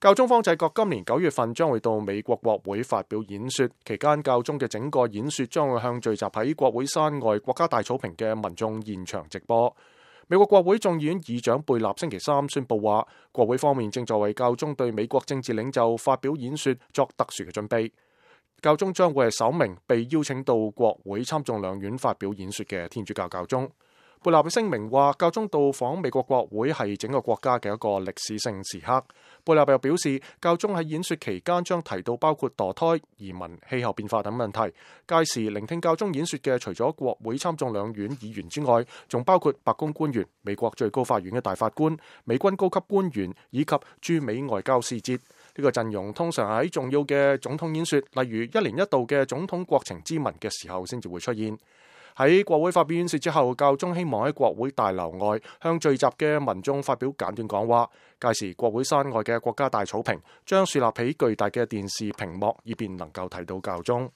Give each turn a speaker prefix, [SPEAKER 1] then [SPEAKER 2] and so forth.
[SPEAKER 1] 教宗方濟各今年9月份將會到美國國會發表演說，期間教宗嘅整個演說將會向聚集喺國會山外國家大草坪嘅民眾現場直播。美國國會眾議院議長貝納星期三宣布話，國會方面正在為教宗對美國政治領袖發表演說作特殊嘅準備。教宗將會係首名被邀請到國會參眾兩院發表演說嘅天主教教宗。貝納嘅聲明話，教宗到訪美國國會係整個國家嘅一個歷史性時刻。貝納又表示，教宗喺演說期間將提到包括墮胎、移民、氣候變化等問題。屆時聆聽教宗演說嘅除咗國會參眾兩院議員之外，仲包括白宮官員、美國最高法院嘅大法官、美軍高級官員以及駐美外交使節。呢個陣容通常喺重要嘅總統演說，例如1年1度嘅總統國情咨文嘅時候先至會出現。喺國會發表演說之後，教宗希望喺國會大樓外向聚集嘅民眾發表簡短講話。屆時國會山外嘅國家大草坪將樹立起巨大嘅電視屏幕，以便能夠睇到教宗。